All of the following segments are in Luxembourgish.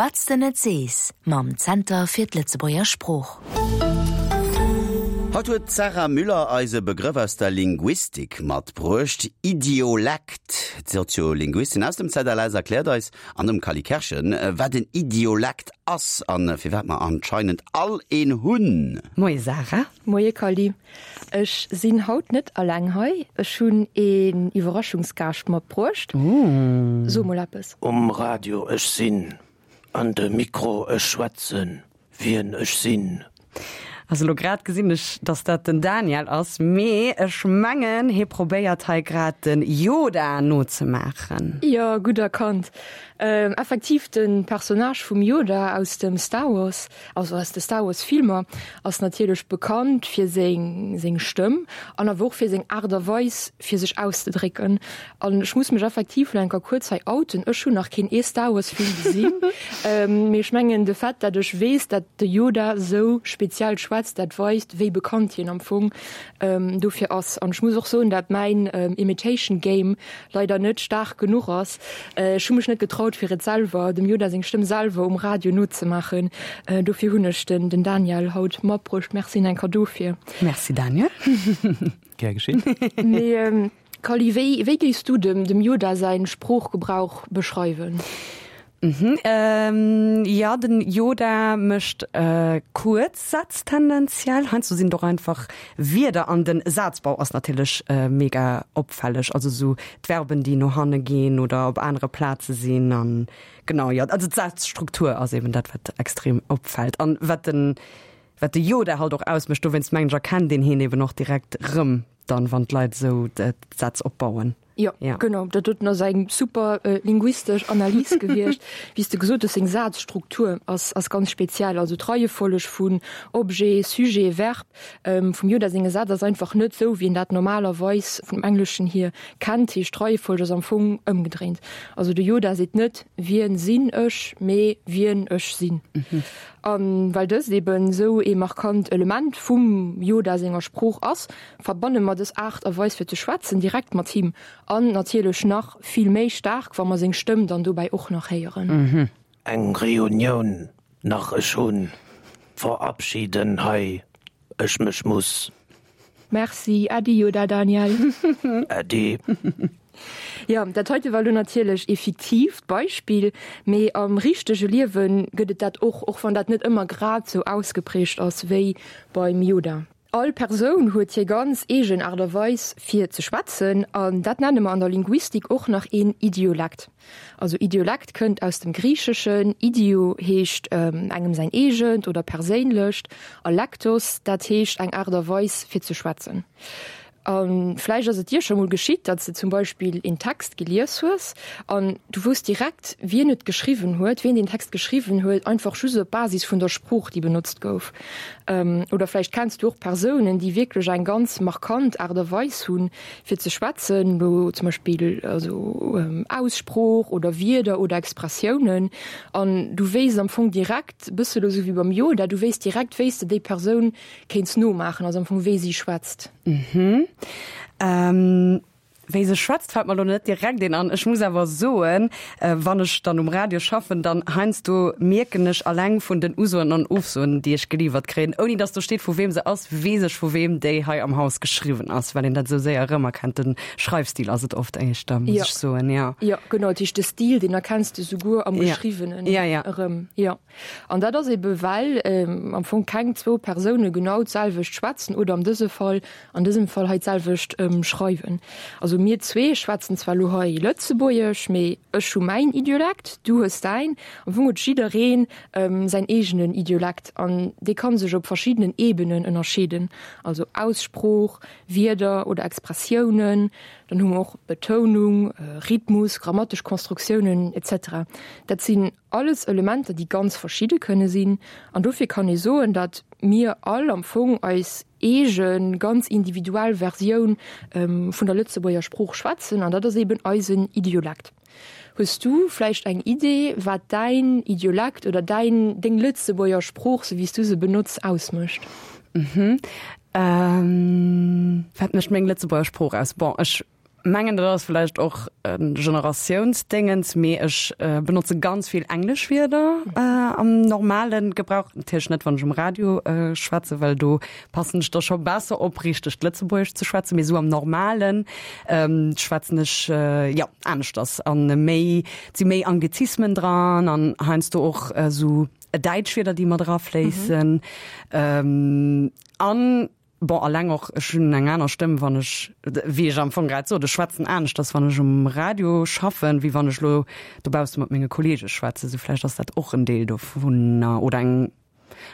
Wat s de net sees mam Zenter fir d'Lëtzebuerger Sprooch. Haut huet d'Sarah Müller eis e Begrëff aus der Linguistik matbruecht, Idiolekt. D'Soziolinguistin aus dem ZLS erkläert eis an dem Cally Kerschen, wat en Idiolekt ass an firwat mer anscheinend all een hunn. Moie Sarah. Moie Cally. Ech sinn haut net alleng hei, ech hunn een Iwwerraschungsgaascht matbruecht. So mol eppes. Um Radio ech sinn, an de Mikro ech schwätzen, wien ech sinn. Also lo grad gesinn ech, dass dat den Daniel ass, mee ech mengen hie probéiert hei grad den Yoda nozemaachen. Jo, gutt erkannt. Effektiv, de Personnage vum Yoda aus dem Star Wars. Also aus de Star Wars Filmer, ass natierlech bekannt fir seng seng Stëmm an awer och fir seng Aart a Weis fir sech auszedrécken. An ech muss mech effektiv lo enker kuerz hei outen, ech hunn nach keen ee Star Wars Film gesinn, mee ech mengen de Fait dat ech weess dat de Yoda sou speziell schwätzt, dat weist wéi bekannt hien am Fong dofir ass. An ech muss och soen dat mäin Imitation Game leider net staark genuch ass. Ech hu mech net getraut fir et selwer, dem Yoda seng Stëmm selwer um Radio nozemaachen. Dofir hunn ech den den Daniel haut matbruecht. Merci en Cadeau fir. Merci Daniel. Gär geschehen. Mee Kally, wéi wéi géifs du dem dem Yoda säin Sproochgebrauch beschreiwen? Mhm, jo, den Yoda mécht kuerz Sätz tendenziell. Heiansdo sinn et och einfach Wierder an den Sazbau ass natierlech mega opfälleg. Also sou d'Verben déi no hanne ginn oder op anere Plaze sinn an genau jo. Also d'Sazstruktur ass eben dat wat extrem opfält an wat den wat de Yoda halt och ausmécht. Dowéinst mengen ech erkennt een hien eben och direkt rëm dann wann d'Leit esou d'Sätz opbauen. Jo, ja. genau. Dat doten ass eng super äh, linguistesch Analys gewiescht. Wéi s de gesot hues, seng Sazstruktur ass, ass ganz speziell. Also d'Reiefolleg vun Objet, Sujet, Verb ähm, vum Yoda senge Sätz ass einfach net sou, wéi een dat normalerweis vum Engleschen hier kennt. Heescht, d'Reiefolleg ass am Fong ëmgedréint. Also de Yoda seet net Wien sinn ech, mee Wien ech sinn. Mhm. A well dëst eben sou ee markant Element vum Yoda senger Sprooch ass, verbanne mer dës Aart a Weis fir ze schwätzen direkt mat him an natierlech nach vill méi staark, wa mer seng Stëmm dann dobäi och nach héieren. Eng Reunioun nach ech hunn, verabschieden hei ech mech muss. Merci, Äddi Yoda Daniel. Äddi. Jo, dat heite war lo natierlech ee fiktiivt Beispill, mee am richtege Liewe gëtt et dat och, och wann dat net ëmmer grad sou ausgeprägt ass wéi beim Yoda. All Persoun huet hir ganz eegen Aart a Weis fir ze schwätzen an dat nenne mer an der Linguistik och nach een Idiolekt. Also Idiolekt kënnt aus dem Griicheschen, idio heescht engem säin eegent oder perséinlecht a lektos dat heescht eng Aart a Weis fir ze schwätzen. A vläicht ass et dir scho mol geschitt, datt s de zum Beispill een Text gelies hues an du wousst direkt, wien et geschriwwen huet, wien deen Text geschriwwen huet, einfach just op Basis vun der Sprooch, déi benotzt gouf. Oder vläicht kenns du och Persounen, déi wierklech eng ganz markant Aart a Weis hunn, fir ze schwätzen, elo zum Beispill also Aussprooch oder Wierder oder Expressiounen. An du wéisst am Fong direkt, e bësse elo sou wéi beim Yoda, du wéisst direkt, wéi s de déi Persoun kéints nomaachen, also am Fong wéi si schwätzt. Mhm. Ähm, wéi se schwätzt fält mer lo net direkt een an. Ech muss awer soen, wann ech dann um Radio schaffen, dann heiansdo mierken ech alleng vun den Usoen an Ofsoen, déi ech geliwwert kréien, ouni dass do steet vu weem se ass, weess ech vu weem déi hei am Haus geschriwwen ass, well een dat esou séier erëmerkennt. Den Schreifstil ass et oft éischter, muss Ja. ech soen, jo. Jo, genau, dat heescht de Stil, deen erkenns de souguer am Ja. Geschriwwenen Ja, ja. erëm, jo. An dat ass ebe well am Fong keng zwou Persoune genau d'selwecht schwätzen oder am dëse Fall, an dësem Fall hei d'selwecht schreiwen. Also mir zwee schwätzen zwar elo hei Lëtzebuergesch, mee ech hu mäin Idiolekt, du hues däin. Am Fong huet jidderee säin eegenen Idiolekt an dee ka sech op verschiddenen Ebenen ënnerscheeden, also Aussprooch, Wierder oder Expressiounen, dann hu mer och Betounung, Rhythmus, grammatesch Konstruktiounen etc. Dat sinn Alles Elementer, déi ganz verschidde kënne sinn. An dofir kann ee soen, datt mir all am Fong eis eege ganz individuell Versioun vun der Lëtzebuerger Sprooch schwätzen, an dat ass eben eisen Idiolekt. Hues du vläicht eng Idee, wat däin Idiolekt oder däin, deng Lëtzebuerger Sprooch, sou wéi s du se benotz, ausmécht? Wat mécht meng Lëtzebuerger Sprooch aus? Bon, ech. Mengen dat ass vläicht och e Generatiounsdéngens, mee ech benotze ganz vill englesch Wierder am normale Gebrauch. Natierlech net wann ech um Radio schwätzen, well do passen ech da scho besser op richtegt Lëtzebuergesch ze schwätzen, mee esou am normalen schwätzen ech jo aneschters an méi, et si méi Anglizismen dran an heiansdo och esou däitsch Wierder déi mat erafléissen an Bon, alleng och, ech hunn eng aner Stëmm, wann ech, wéi ech am Fong grad sot, ech schwätzen aneschters, wann ech um Radio schaffen, wéi wann ech elo dobausse mat menge Kolleege schwätzen. Sou vläicht ass dat och en Deel dovunner oder eng,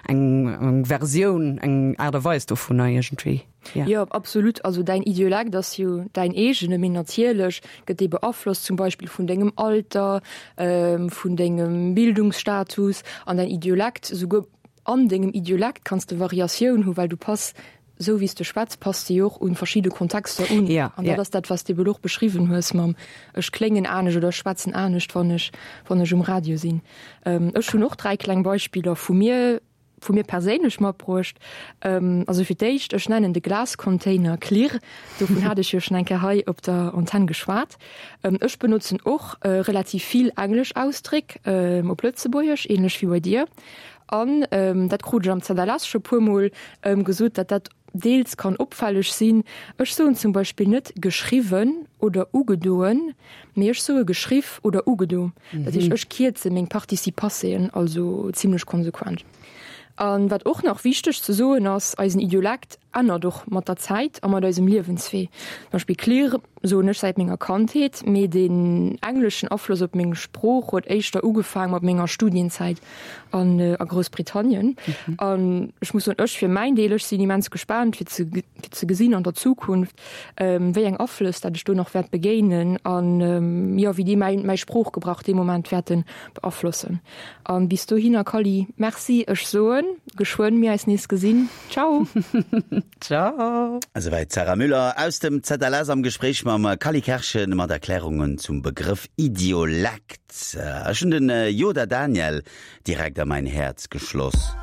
eng, eng Versioun, eng Aart a Weis dovunner iergendwéi, jo. Jo, absolut. Also däin Idiolekt ass jo däin eegene, mee natierlech gëtt dee beaflosst zum Beispill vun dengem Alter, vun dengem Bildungsstatus an däin Idiolekt esouguer An dengem Idiolekt kanns de Variatioun hu well du pass, sou wéi s de schwätz, pass de jo och un verschidde Kontexter un. Ja, An dat ja. ass dat, wat s de ebe lo och beschriwwen hues mam ech kléngen anescht oder ech schwätzen anescht, wann ech, wann ech um Radio sinn. Ech hunn och 3 kleng Beispiller vu mir, vu mir perséinlech matbruecht. Also fir d'éischt, ech nennen de Glascontainer Klirr. Dovun hat ech jo schonn eng Kéier hei op der Antenn geschwat. Ech benotzen och relativ vill englesch Ausdréck op Lëtzebuergesch, ähnlech wéi bei dir. An dat krut ech am ZLS scho puermol gesot, datt dat deels kann opfälleg sinn. Ech soen zum Beispill net geschriwwen oder ugedoen, mee ech soe geschriff oder ugedo. Dat heescht, ech kierze meng Participe-passéen also zimlech konsequent. A wat och nach wichteg ze soen ass, eisen Idiolekt ännert och mat der Zäit a mat eisem Liewenswee. Zum Beispill Klirr soen ech säit menger Kandheet, mee den engleschen Afloss op meng Sprooch huet éischter ugefaang mat menger Studienzäit an a Groussbritannien. An ech muss soen, ech fir mäin Deel, ech sinn immens gespaant fir ze fir ze gesinn an der Zukunft, wéi eng Aflëss dat ech do nach wäert begéinen an jo wéi déi mäi mäi Sproochgebrauch dee Moment wäerte beaflossen. An bis dohinner Kally, Merci, ech soen geschwënn mir eis nees gesinn. Ciao! Ciao! Esouwäit d'Sarah Müller aus dem ZLS am Gespréich mam Kally Kerschen mat Erklärungen zum Begrëff Idiolekt. Ech hunn den Yoda Daniel direkt a mäin Häerz geschloss.